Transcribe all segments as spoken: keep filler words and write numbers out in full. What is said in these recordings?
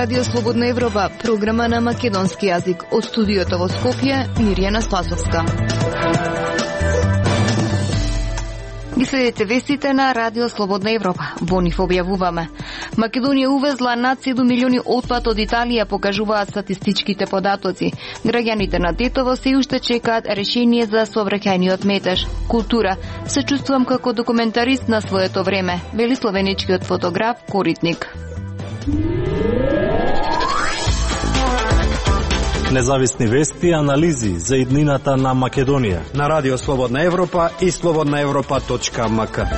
Радио Слободна Европа, програма на македонски јазик. Од студиото во Скопје, Мирјана Спасовска. Ги следите вестите на Радио Слободна Европа. Во нив објавуваме. Македонија увезла над седум милиони отпад од Италија, покажуваат статистичките податоци. Граѓаните на Тетово се уште чекаат решение за сообраќајниот метеж. Култура. Се чувствувам како документарист на своето време, вели словеничкиот фотограф Коритник. Независни вести и анализи за иднината на Македонија на Радио Слободна Европа и слободна европа точка ем ка.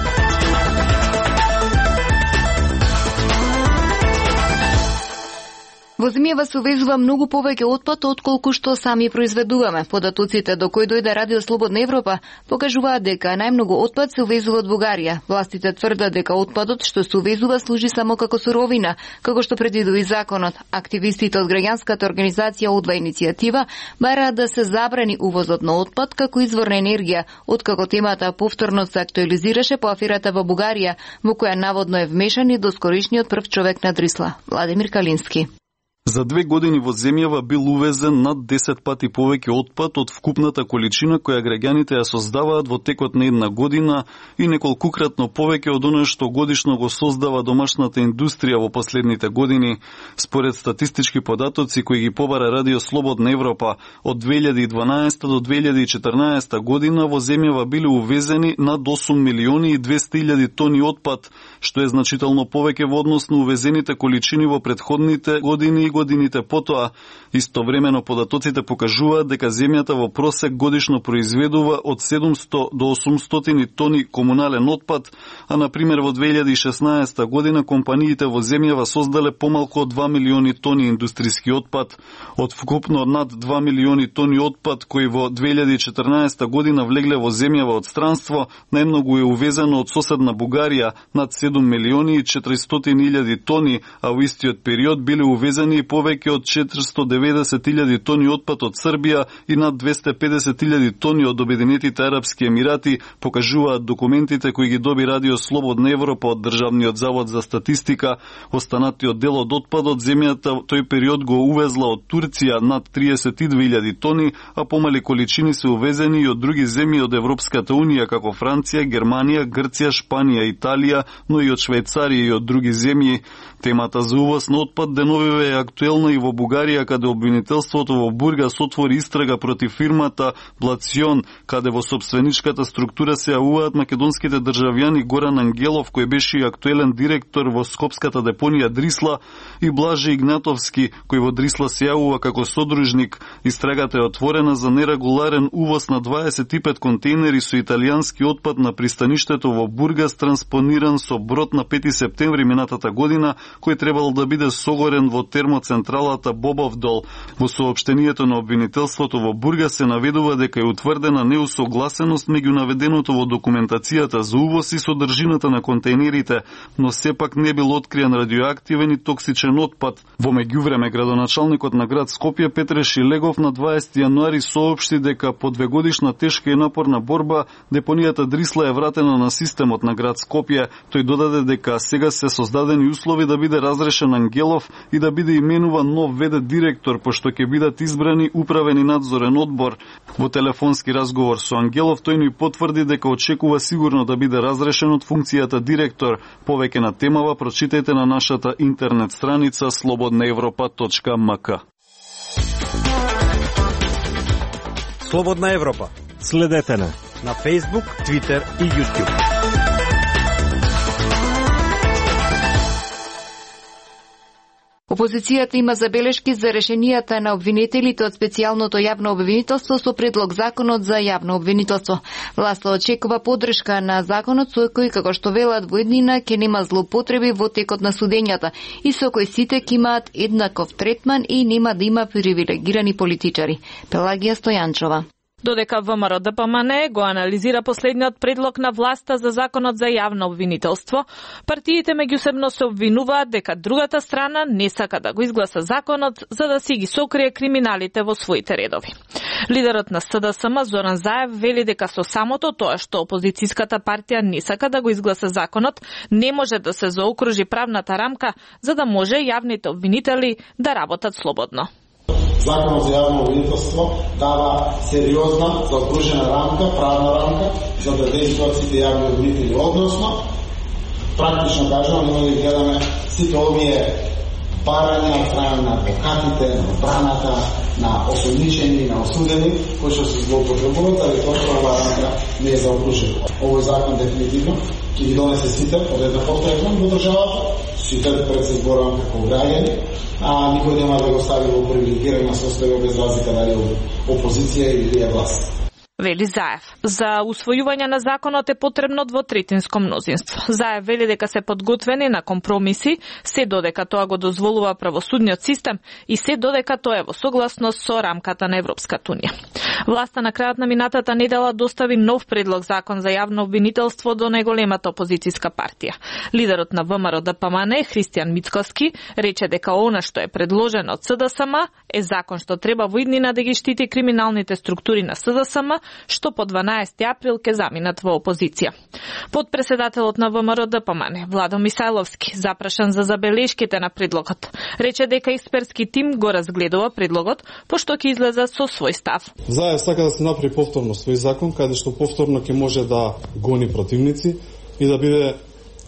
Во земјава се увезува многу повеќе отпад отколку што сами произведуваме. Податоците до кои дојде Радио Слободна Европа покажуваат дека најмногу отпад се увезува од Бугарија. Властите тврдат дека отпадот што се увезува служи само како суровина, како што предвидува законот. Активистите од граѓанската организација Одва иницијатива бараат да се забрани увозот на отпад како извор на енергија, откако темата повторно се актуализираше по аферата во Бугарија, во која наводно е вмешан и доскоришниот прв човек на Дрисла, Владимир Калински. За две години во земјава бил увезен над десет пати повеќе отпад од вкупната количина која граѓаните ја создаваат во текот на една година и неколкукратно повеќе од оно што годишно го создава домашната индустрија во последните години. Според статистички податоци кои ги побара Радио Слободна Европа, од две илјади и дванаесета до две илјади и четрнаесета година во земјава биле увезени над осум милиони и двесте илјади тони отпад, што е значително повеќе во однос на увезените количини во претходните години и годините потоа. Истовремено податоците покажуваат дека земјата во просек годишно произведува од седумсто до осумстотини тони комунален отпад, а на пример во две илјади и шеснаесета година компаниите во земјава создале помалку од два милиони тони индустријски отпад. Од вкупно над два милиони тони отпад кои во две илјади и четрнаесета година влегле во земјава од странство, најмногу е увезено од соседна Бугарија, над седум милиони и четиристотини илјади тони, а во истиот период биле увезени и повеќе од четиристо деветдесет илјади тони отпад од Србија и над двесте педесет илјади тони од Обединетите арапски емирати, покажуваат документите кои ги доби Радио Слободна Европа од Државниот завод за статистика. Останатиот дел од отпадот земјата тој период го увезла од Турција над триесет и две илјади тони, а помали количини се увезени и од други земји од Европската унија како Франција, Германија, Грција, Шпанија, Италија, но и од Швајцарија и од други земји. Темата за увоз на отпад деновиве е актуелна и во Бугарија, каде обвинителството во Бургас отвори истрага против фирмата Блацион, каде во собственичката структура се јавуваат македонските државјани Горан Ангелов, кој беше и актуелен директор во Скопската депонија Дрисла, и Блаже Игнатовски, кој во Дрисла се јавува како содружник. Истрагата е отворена за нерегуларен увоз на дваесет и пет контейнери со италијански отпад на пристаништето во Бургас, транспониран со брод на пети септември минатата година, кој требало да биде согорен во термоцентралата Бобовдол. Во соопштението на обвинителството во Бургас се наведува дека е утврдена неусогласеност меѓу наведеното во документацијата за увоз и содржината на контейнерите, но сепак не бил откриен радиоактивен и токсичен отпад. Во меѓувреме, градоначалникот на град Скопје Петре Шилегов на дваесети јануари соопшти дека по двегодишна тешка и напорна борба депонијата Дрисла е вратена на системот на град Скопје. Тој додаде дека сега се создадени услови да биде разрешен Ангелов и да биде именуван нов вд директор, пошто ќе бидат избрани управен и надзорен одбор. Во телефонски разговор со Ангелов тој ни потврди дека очекува сигурно да биде разрешен од функцијата директор. Повеќе на темава прочитајте на нашата интернет страница слободна европа точка ем ка. Слободна Европа. Следете на на Facebook, Twitter и YouTube. Опозицијата има забелешки за решенијата на обвинителите од специјалното јавно обвинителство со предлог законот за јавно обвинителство. Власта очекува поддршка на законот со кој, како што велат во еднина, ќе нема злоупотреби во текот на судењата и со кој сите ќе имаат еднаков третман и нема да има привилегирани политичари. Пелагија Стојанчова. Додека ВМРО Д П М Н го анализира последниот предлог на власта за законот за јавно обвинителство, партиите меѓусебно се обвинуваат дека другата страна не сака да го изгласа законот за да си ги сокрие криминалите во своите редови. Лидерот на С Д С М Зоран Заев вели дека со самото тоа што опозицијската партија не сака да го изгласа законот, не може да се заокружи правната рамка за да може јавните обвинители да работат слободно. Законот за јавно обвинителство дава сериозна, заокружена рамка, правна рамка за да действуваат сите јавни обвинители, односно практично кажано, ние да гледаме сите овие барања од страна на адвокатите, на одбраната, на осомничени, на осудени, кои што се злоупотребуваат, али тоа оваа рамка не е заокружена. Овој закон дефинитивно ќе ги донесе сите од една подкрепа во државата, сите пред се зборувам како граѓани, а никој нема да го стави во привилегирана состојба без разлика дали опозиција или е власт. Вели Заев. За усвојување на законот е потребно двотретинско мнозинство. Заев вели дека се подготвени на компромиси, се додека тоа го дозволува правосудниот систем и се додека тоа е во согласност со рамката на Европската унија. Власта на крајот на минатата недела достави нов предлог закон за јавно обвинителство до најголемата опозицијска партија. Лидерот на ВМРО Д П М Н, Христијан Мицкоски, рече дека она што е предложено од С Д С М е закон што треба во иднина да ги штити криминалните структури на С Д С М, што по дванаесети април ќе заминат во опозиција. Подпредседателот на ВМРО Д П М Н, Владо Мисајловски, запрашан за забелешките на предлогот, рече дека експертски тим го разгледува предлогот, пошто ќе излезе со свој став. Заев сака да се направи повторно свој закон, каде што повторно ќе може да гони противници и да биде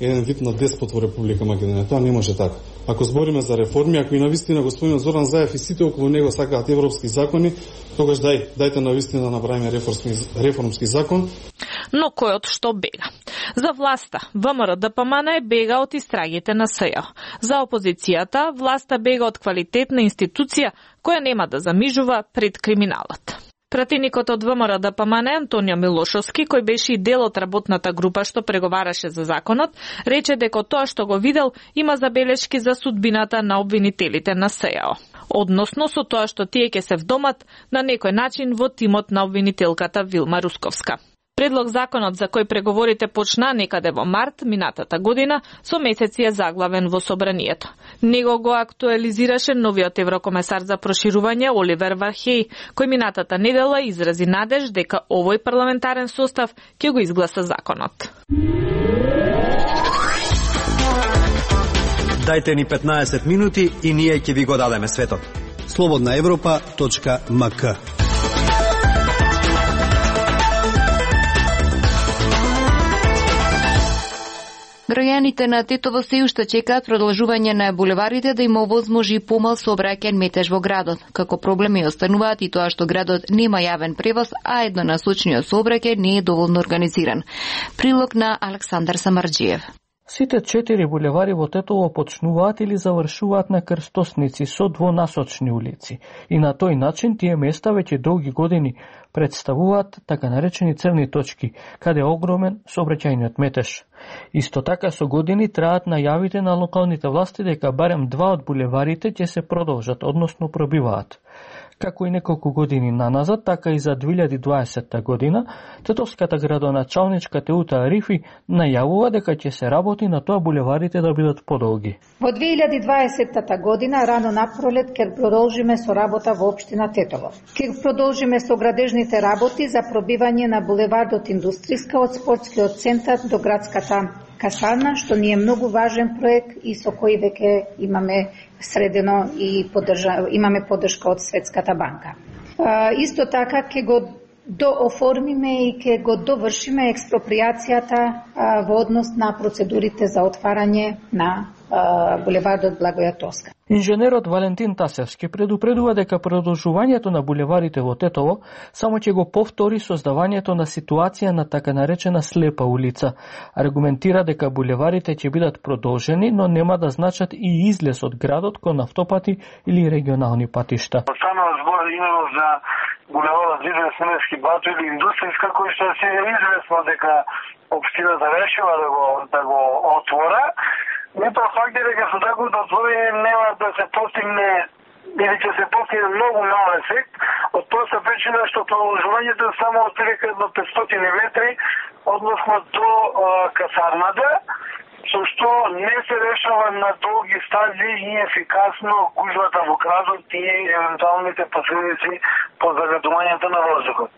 еден вид на деспот во Република Македонија. Тоа не може така. Ако збориме за реформи, ако и навистина господин Зоран Заев и сите околу него сакаат европски закони, тогаш дај, дајте навистина да направиме реформски, реформски закон. Но којот што бега? За власта, ВМРО Д П М Н бега од истрагите на С Ј О. За опозицијата, власта бега од квалитетна институција која нема да замижува пред криминалот. Пратеникот од ВМРО Д П М Н Антонио Милошовски, кој беше и дел од работната група што преговараше за законот, рече дека тоа што го видел има забелешки за судбината на обвинителите на С Ј О. Односно со тоа што тие ќе се вдомат на некој начин во тимот на обвинителката Вилма Русковска. Предлог законот за кој преговорите почна некаде во март минатата година со месеци е заглавен во собранието. Него го актуализираше новиот еврокомесар за проширување Оливер Вархеј, кој минатата недела изрази надеж дека овој парламентарен состав ќе го изгласа законот. Дайте ни петнаесет минути и ние ќе ви го дадеме светот. слободна европа точка м к. Граѓаните на Тетово се уште чекаат продолжување на булеварите да им овозможи помал сообраќајен метеж во градот. Како проблеми остануваат и тоа што градот нема јавен превоз, а еднонасочниот сообраќај не е доволно организиран. Прилог на Александар Самарџиев. Сите четири булевари во Тетово почнуваат или завршуваат на крстосници со двонасочни улици и на тој начин тие места веќе долги години представуваат така наречени црни точки, каде е огромен сообраќајниот метеж. Исто така со години траат најавите на локалните власти дека барем два од булеварите ќе се продолжат, односно пробиваат. Како и неколку години наназад, така и за две илјади и дваесетта година, тетовската градоначалничка Теута Арифи најавува дека ќе се работи на тоа булеварите да бидат подолги. Во две илјади и дваесетта година, рано напролет, ќе продолжиме со работа во општина Тетово. Ќе продолжиме со градежните работи за пробивање на булевардот Индустријска од спортскиот центар до градската касарна, што ни е многу важен проект и со кој веќе имаме средено и поддржа, имаме поддршка од Светската банка. А, исто така ќе го дооформиме и ќе го довршиме експроприацијата а, во однос на процедурите за отварање на а, булевардот Благоја Тоска. Инженерот Валентин Тасевски предупредува дека продолжувањето на булеварите во Тетово само ќе го повтори создавањето на ситуација на така наречена слепа улица. Аргументира дека булеварите ќе бидат продолжени, но нема да значат и излез од градот кон автопати или регионални патишта. Станува збор именно за булеварот Зиден Семески Бато или Индустријска, кој што се е известно дека општината решила да го да го отвора. Не тоа факт е дека со таквото отворање нема да се постигне или ќе се постигне многу мал ефект, од проста причина што продолжувањето е само од едно петстотини метри, односно до а, касарната, со што не се решава на долги стази и ефикасно гужвата во градот и евентуалните последици по загадувањето на воздухот.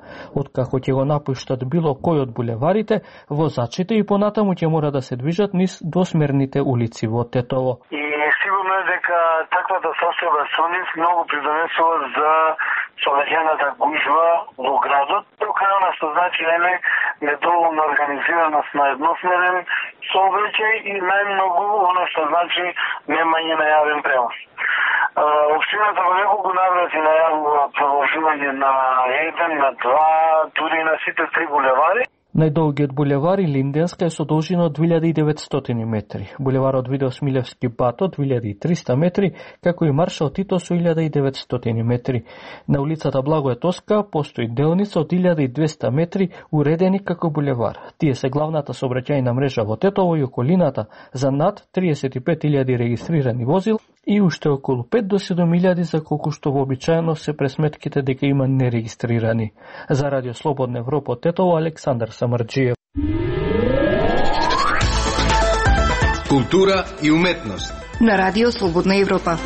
Откако ќе го напуштат било кој од булеварите, возачите и понатаму ќе мора да се движат низ двосмерните улици во Тетово. И сигурно е дека таквата состојба со нив многу придонесува за соодветната гужва во градот, прокарана што значи ене недоволна организираност на едносмерен сообраќај и најмногу оно што значи немање на јавен превоз. Општината во неколку наврати најавува продолжување на еден, на два, дури на сите три булевари. Најдолгиот булевар Линденска е со должина од две илјади и деветстотини метри, булеварот Видо Смилевски Бато две илјади и триста метри, како и Маршал Тито со илјада и деветстотини метри. На улицата Благое Тоска постои делница од илјада и двесте метри уредени како булевар. Тие се главната сообраќајна мрежа во Тетово и околината за над триесет и пет илјади регистрирани возил и уште околу пет до седум илјади за колку што вообичаено се пресметките дека има нерегистрирани. За Радио Слободна Европа од Тетово, Александар Самарџиев. Култура и уметност на Радио Слободна Европа.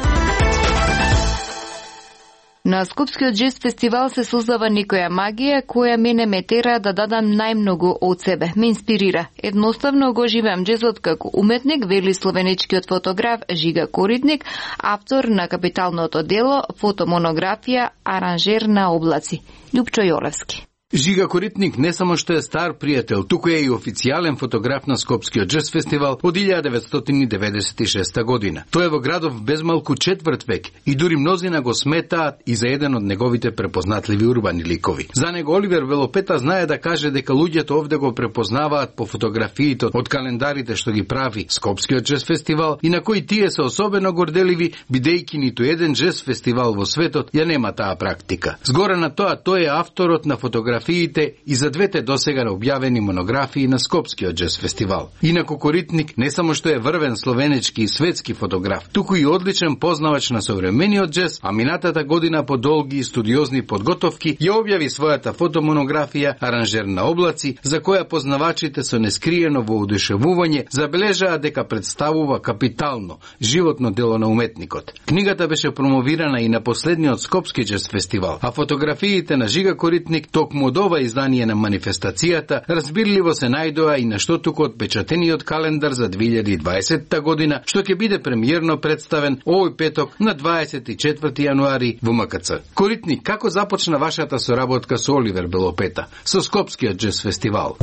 На Скопскиот джез фестивал се создава некоја магија која мене ме тера да дадам најмногу од себе. Ме инспирира. Едноставно го живеам джезот како уметник, вели словенечкиот фотограф Жига Коритник, автор на капиталното дело фотомонографија Аранжер на облаци. Љупчо Јолевски. Жига Коритник не само што е стар пријател, туку е и официјален фотограф на Скопскиот джез фестивал од илјада деветстотини деветдесет и шеста година. Тој е во градов безмалку четврт век и дури мнозина го сметаат и за еден од неговите препознатливи урбани ликови. За него Оливер Велопета знае да каже дека луѓето овде го препознаваат по фотографиите од календарите што ги прави Скопскиот джез фестивал и на кои тие се особено горделиви, бидејќи ниту еден джез фестивал во светот ја нема таа практика. Згора на тоа, тој е авторот на фотографија и за двете досега објавени монографии на Скопскиот джез фестивал. Инаку Коритник не само што е врвен словенечки и светски фотограф, туку и одличен познавач на современиот джез, а минатата година по долги и студиозни подготовки ја објави својата фотомонографија Аранжер на облаци, за која познавачите со нескриено воодушевување забележаа дека представува капитално, животно дело на уметникот. Книгата беше промовирана и на последниот Скопски джез фестивал, а фотографиите на Жига Коритник токму од ова издание на манифестацијата разбирливо се најдоа и на штотукот печатениот календар за две илјади и дваесетта година, што ќе биде премиерно представен овој петок на дваесет и четврти јануари во М К Ц. Коритник, како започна вашата соработка со Оливер Белопета, со Скопскиот джез фестивал?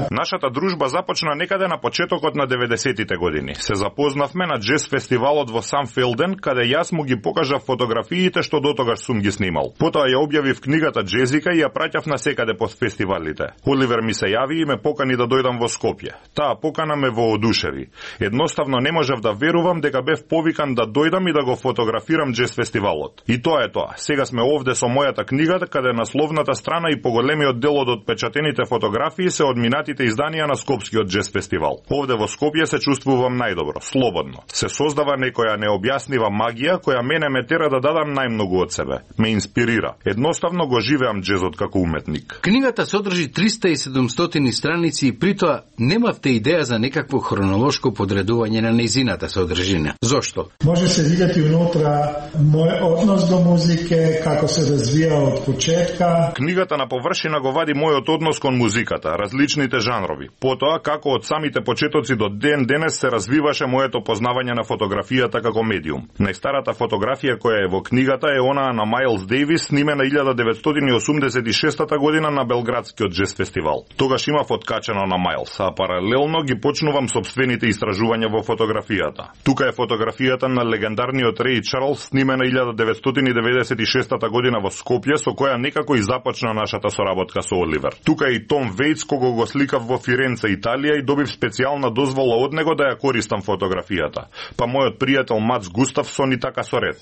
Нашата дружба започна некаде на почетокот на деветдесетите години. Се запознавме на джез фестивалот во Самфелден, каде јас му ги покажав фотографиите што дотогаш сум ги снимал. Потоа ја објавив книгата Джезика и ја праќав на секаде по фестивалите. Оливер ми се јави и ме покани да дојдам во Скопје. Таа покана ме воодушеви. Едноставно не можев да верувам дека бев повикан да дојдам и да го фотографирам джез фестивалот. И тоа е тоа. Сега сме овде со мојата книга, каде насловната страна и поголемиот дел од отпечатените фотографии се од минатите изданија на Скопскиот джез фестивал. Овде во Скопје се чувствувам најдобро, слободно. Се создава некоја необјаснива магија која мене ме тера да дадам најмногу од себе. Ме инспирира. Едноставно го живеам джезот како уметник. Книгата содржи триста и седумстотини страници и притоа немавте идеја за некакво хронолошко подредување на нејзината содржина. Зошто? Може се видети унутра мој однос до музике, како се развија од почетка. Книгата на површина го вади мојот однос кон музиката, различните жанрови. Потоа како од самите почетоци до ден денес се развиваше моето познавање на фотографијата како медиум. Најстарата фотографија која е во книгата е онаа на Майлс Дейвис, снимена илјада деветстотини осумдесет и шеста година на Белградскиот джез фестивал. Тогаш имав откачено на Майлс, а паралелно ги почнувам собствените истражувања во фотографијата. Тука е фотографијата на легендарниот Реј Чарлс, снимена илјада деветстотини деветдесет и шеста година во Скопје, со која некако и започна нашата соработка со Оливер. Тука е и Том Вејц, кого го сликав во Фиренце, Италија, и добив специјална дозвола од него да ја користам фотографијата. Па мојот пријател Мац Густавсон и така со ред.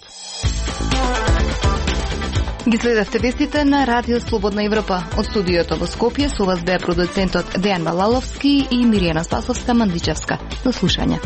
Ги следевте вестите на Радио Слободна Европа. Од студиото во Скопје со вас беа продуцентот Дејан Балаловски и Миријана Спасовска Мандичевска. До слушање.